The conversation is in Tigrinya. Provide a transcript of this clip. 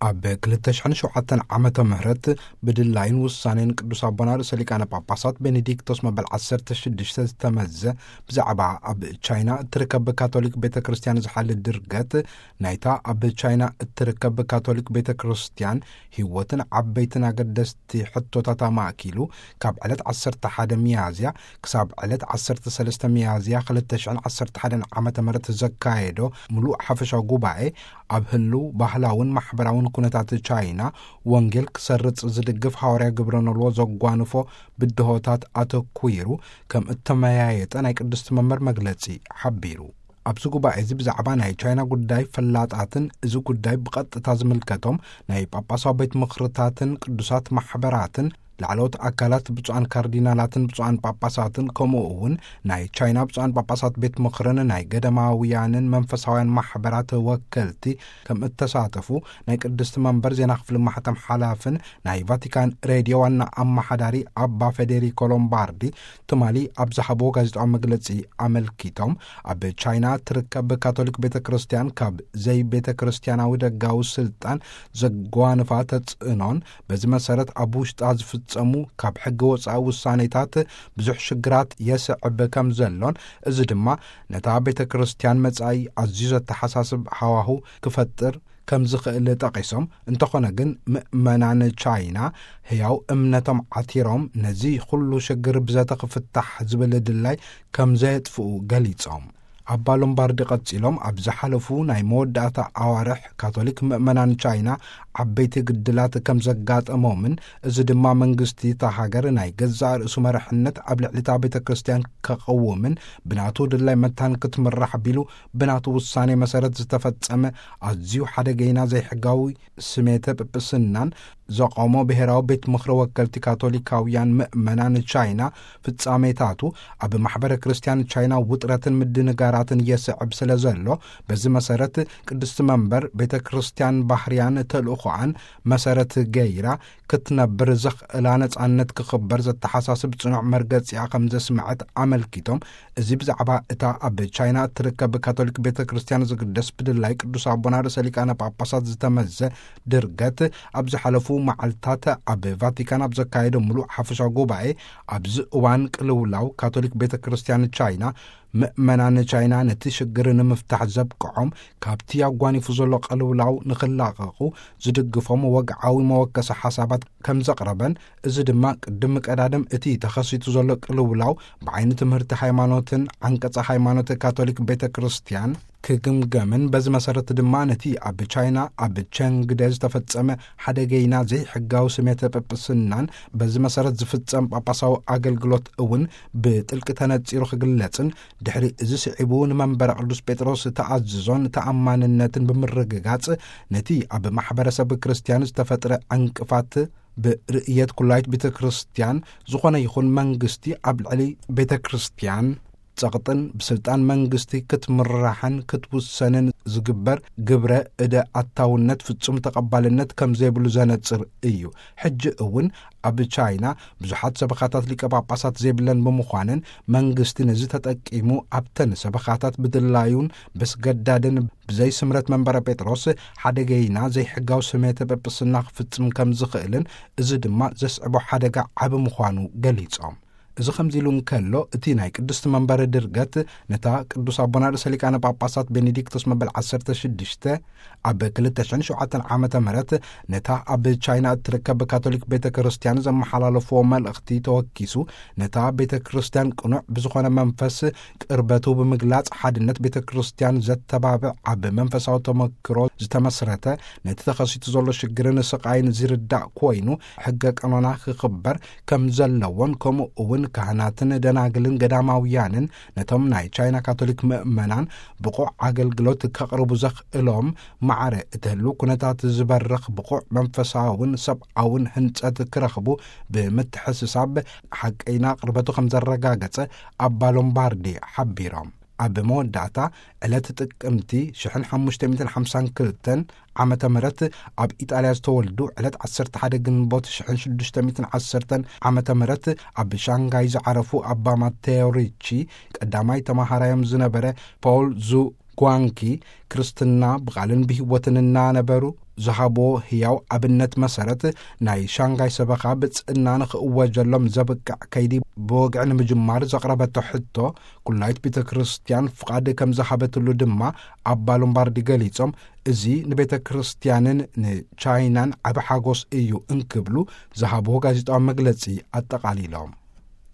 ኣብ ክልተ ሽሕን ሸውዓተን ዓመተ ምህረት ብድላይን ውሳኔን ቅዱስ ኣቦና ርእሰ ሊቃነ ጳጳሳት ቤኔዲክቶስ መበል ዓሰርተ ሽዱሽተ ዝተመዘ ብዛዕባ ኣብ ቻይና እትርከብ ካቶሊክ ቤተ ክርስቲያን ዝሓሊ ድርገት፣ ናይታ ኣብ ቻይና እትርከብ ካቶሊክ ቤተ ክርስቲያን ህይወትን ዓበይትን ኣገደስቲ ሕቶታት ኣማእኪሉ፣ ካብ ዕለት ዓሰርተ ሓደ ሚያዝያ ክሳብ ዕለት ዓሰርተ ሰለስተ ሚያዝያ ክልተ ሽሕን ዓሰርተ ሓደን ዓመተ ምህረት ዘካየዶ ምሉእ ሓፈሻዊ ጉባኤ፣ ኣብ ህልው ባህላውን ማሕበራውን ኩነታት ቻይና ወንጌል ክሰርጽ ዝድግፍ ሃዋርያ ግብረ ኖልዎ ዘጓንፎ ብድሆታት ኣተኲሩ ከም እተመያየጠ ናይ ቅድስቲ መንበር መግለጺ ሓቢሩ። ኣብዚ ጉባኤ እዚ ብዛዕባ ናይ ቻይና ጉዳይ ፈላጣትን እዚ ጉዳይ ብቐጥታ ዝምልከቶም ናይ ጳጳሳዊ ቤት ምኽርታትን ቅዱሳት ማሕበራትን ላዕለዎት ኣካላት ብፁዓን ካርዲናላትን ብፁዓን ጳጳሳትን ከምኡ እውን ናይ ቻይና ብፁዓን ጳጳሳት ቤት ምኽርን ናይ ገዳማውያንን መንፈሳውያን ማሕበራት ወከልቲ ከም እተሳተፉ ናይ ቅድስቲ መንበር ዜና ክፍሊ ማሕተም ሓላፍን ናይ ቫቲካን ሬድዮ ዋና ኣመሓዳሪ ኣባ ፌዴሪኮ ሎምባርዲ ትማሊ ኣብ ዝሃብዎ ጋዜጣዊ መግለጺ ኣመልኪቶም፣ ኣብ ቻይና ትርከብ ካቶሊክ ቤተ ክርስቲያን ካብ ዘይቤተ ክርስቲያናዊ ደጋዊ ስልጣን ዘጓንፋ ተጽዕኖን፣ በዚ መሰረት ኣብ ውሽጣ ዝፍጸሙ ካብ ሕጊ ወጻኢ ውሳኔታት ብዙሕ ሽግራት የስዕብ ከም ዘሎን፣ እዚ ድማ ነታ ቤተ ክርስቲያን መጻኢ ኣዝዩ ዘተሓሳስብ ሃዋሁ ክፈጥር ከም ዝኽእል ጠቒሶም፣ እንተኾነ ግን ምእመናን ቻይና ህያው እምነቶም ዓቲሮም ነዚ ኩሉ ሽግር ብዘተ ክፍታሕ ዝብል ድላይ ከም ዘየጥፍኡ ገሊጾም። ኣባ ሎምባርዲ ቀጺሎም፣ ኣብ ዝሓለፉ ናይ መወዳእታ ኣዋርሕ ካቶሊክ ምእመናን ቻይና ዓበይቲ ግድላት ከም ዘጋጠሞምን፣ እዚ ድማ መንግስቲ እታ ሃገር ናይ ገዛእ ርእሱ መርሕነት ኣብ ልዕሊ እታ ቤተ ክርስቲያን ከቐውምን ብናቱ ድላይ መታን ክትምራሕ ቢሉ ብናቱ ውሳኔ መሰረት ዝተፈጸመ ኣዝዩ ሓደገይና ዘይሕጋዊ ስሜተ ጵጵስናን ዘቆሞ ብሔራዊ ቤት ምኽሪ ወከልቲ ካቶሊካውያን ምእመናን ቻይና ፍጻሜታቱ ኣብ ማሕበረ ክርስቲያን ቻይና ውጥረትን ምድንጋራትን የስዕብ ስለ ዘሎ፣ በዚ መሰረት ቅድስቲ መንበር ቤተ ክርስቲያን ባህርያን ተልእኾኣን መሰረት ገይራ ክትነብር ዘኽእላ ነጻነት ክኽበር ዘተሓሳስብ ጽኑዕ መርገጺኣ ከም ዘስምዐት ኣመልኪቶም፣ እዚ ብዛዕባ እታ ኣብ ቻይና እትርከብ ካቶሊክ ቤተ ክርስቲያን ዝግደስ ብድላይ ቅዱስ ኣቦና ርእሰ ሊቃነ ጳጳሳት ዝተመዘ ድርገት፣ ኣብ ዝሓለፉ መዓልታት ኣብ ቫቲካን ኣብ ዘካየዶ ምሉእ ሓፈሻዊ ጉባኤ፣ ኣብዚ እዋን ቅልውላው ካቶሊክ ቤተ ክርስቲያን ቻይና፣ ምእመናን ቻይና ነቲ ሽግር ንምፍታሕ ዘብቅዖም፣ ካብቲ ኣጓኒፉ ዘሎ ቅልውላው ንኽላቐቑ ዝድግፎም ወግዓዊ መወከሲ ሓሳባት ከም ዘቕረበን፣ እዚ ድማ ቅድሚ ቀዳድም እቲ ተኸሲቱ ዘሎ ቅልውላው ብዓይኒ ትምህርቲ ሃይማኖትን ዓንቀጸ ሃይማኖት ካቶሊክ ቤተ ክርስቲያን ክግምገምን፣ በዚ መሰረት ድማ ነቲ ኣብ ቻይና ኣብ ቸንግደ ዝተፈጸመ ሓደገይና ዘይሕጋዊ ስሜተ ጵጵስናን በዚ መሰረት ዝፍጸም ጳጳሳዊ ኣገልግሎት እውን ብጥልቂ ተነጺሩ ክግለጽን፣ ድሕሪ እዚ ስዒቡ ንመንበረ ቅዱስ ጴጥሮስ ተኣዝዞን ተኣማንነትን ብምርግጋጽ፣ ነቲ ኣብ ማሕበረሰብ ክርስቲያን ዝተፈጥረ ዕንቅፋት ብርእየት ኩላይት ቤተ ክርስቲያን ዝኾነ ይኹን መንግስቲ ኣብ ልዕሊ ቤተ ክርስቲያን ጸቕጥን ብስልጣን መንግስቲ ክትምራሕን ክትውሰንን ዝግበር ግብረ እደ ኣታውነት ፍጹም ተቐባልነት ከም ዘይብሉ ዘነጽር እዩ። ሕጂ እውን ኣብ ቻይና ብዙሓት ሰበኻታት ሊቀ ጳጳሳት ዘይብለን ብምዃነን፣ መንግስቲ ነዚ ተጠቂሙ ኣብተን ሰበኻታት ብድላዩን በስገዳድን ብዘይ ስምረት መንበረ ጴጥሮስ ሓደገይና ዘይሕጋዊ ስሜተ ጵጵስና ክፍጽም ከም ዝኽእልን፣ እዚ ድማ ዘስዕቦ ሓደጋ ዓቢ ምዃኑ ገሊጾም። እዚ ከምዚ ኢሉ እንከሎ፣ እቲ ናይ ቅድስቲ መንበር ድርገት ነታ ቅዱስ ኣቦና ርእሰ ሊቃነ ጳጳሳት ቤኔዲክቶስ መበል ዓሰርተ ሽዱሽተ ኣብ ክልተ ሽሕን ሸውዓተን ዓመተ ምህረት ነታ ኣብ ቻይና እትርከብ ካቶሊክ ቤተ ክርስቲያን ዘመሓላለፍዎ መልእኽቲ ተወኪሱ፣ ነታ ቤተ ክርስቲያን ቅኑዕ ብዝኾነ መንፈስ ቅርበቱ ብምግላጽ፣ ሓድነት ቤተ ክርስቲያን ዘተባብዕ፣ ኣብ መንፈሳዊ ተመክሮ ዝተመስረተ፣ ነቲ ተኸሲቱ ዘሎ ሽግርን ስቓይን ዝርዳእ ኮይኑ፣ ሕገ ቀኖና ክኽበር ከም ዘለዎን፣ ከምኡ እውን ካህናትን ደናግልን ገዳማውያንን ነቶም ናይ ቻይና ካቶሊክ ምእመናን ብቑዕ ኣገልግሎት ከቕርቡ ዘኽእሎም ማዕረ እትህሉ ኩነታት ዝበርኽ ብቑዕ መንፈሳውን ሰብኣውን ህንጸት ክረኽቡ ብምትሕስሳብ፣ ሓቀይና ቅርበቱ ከም ዘረጋገጸ ኣባ ሎምባርዲ ሓቢሮም። ኣብ መወዳእታ፣ ዕለት ጥቅምቲ ሽሕን ሓሙሽተ ሚእትን ሓምሳን ክልተን ዓመተ ምህረት ኣብ ኢጣልያ ዝተወልዱ፣ ዕለት ዓሰርተ ሓደ ግንቦት ሽሕን ሽዱሽተ ሚእትን ዓሰርተን ዓመተ ምህረት ኣብ ሻንጋይ ዝዓረፉ ኣባ ማቴዮ ሪቺ፣ ቀዳማይ ተማሃራዮም ዝነበረ ፖል ዙ ጓንኪ፣ ክርስትና ብቓልን ብህይወትን እናነበሩ ዝሃቦ ህያው ኣብነት መሰረት፣ ናይ ሻንጋይ ሰበኻ ብጽእና ንኽእወጀሎም ዘብቅዕ ከይዲ ብወግዒ ንምጅማር ዘቕረበቶ ሕቶ፣ ኩላይት ቤተ ክርስቲያን ፍቓድ ከም ዝሃበትሉ ድማ ኣባ ሎምባርዲ ገሊጾም፣ እዚ ንቤተ ክርስቲያንን ንቻይናን ዓቢ ሓጎስ እዩ እንክብሉ ዝሃብዎ ጋዜጣዊ መግለጺ ኣጠቓሊሎም።